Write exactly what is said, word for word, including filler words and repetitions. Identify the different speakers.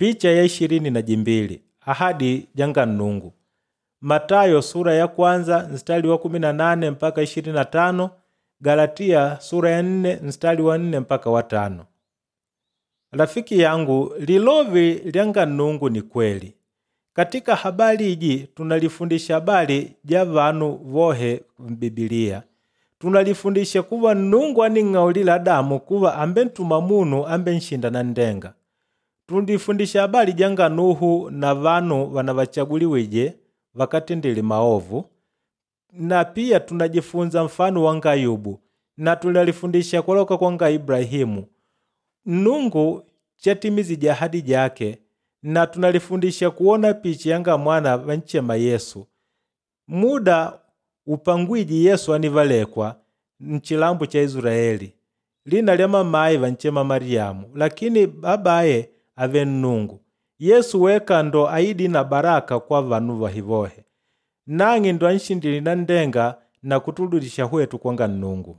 Speaker 1: Picha ya ishirini na jimbili ahadi janga Nnungu. Matayo sura ya kwanza mstari wa kumi na nane mpaka ishirini na tano, Galatia sura ya nne mstari wa nne mpaka wa tano. Rafiki yangu, lilovi lyanga Nnungu ni kweli. Katika habari iji tunalifundisha habari ja vanu vohe m'Bibiliya. Tunalifundisha kuva Nnungu aning'aulila Adamu kuva ambentuma munu ambenshinda nanndenga. Tulifundisha habari janga Nuhu na vanu vanavachaguliwije vakatendile maovu, na pia tunajifunza mfano wanga Ayubu na tunalifundisha kuloka kwanga Ibulahimu. Nnungu chatimizije ahadi jake na tunalifundisha kuwona picha yanga mwana vanchema Yesu. Muda upangwiji Yesu anivalekwa nchilambo cha Israeli. Lina lya mamaye vanchema Mariamu, lakini babaye ave Nnungu. Yesu weka ndo aidi na baraka kwa vanu vahivohe. Nang'e ndo anshindile nanndenga na kutuludisha hwetu kwanga Nnungu.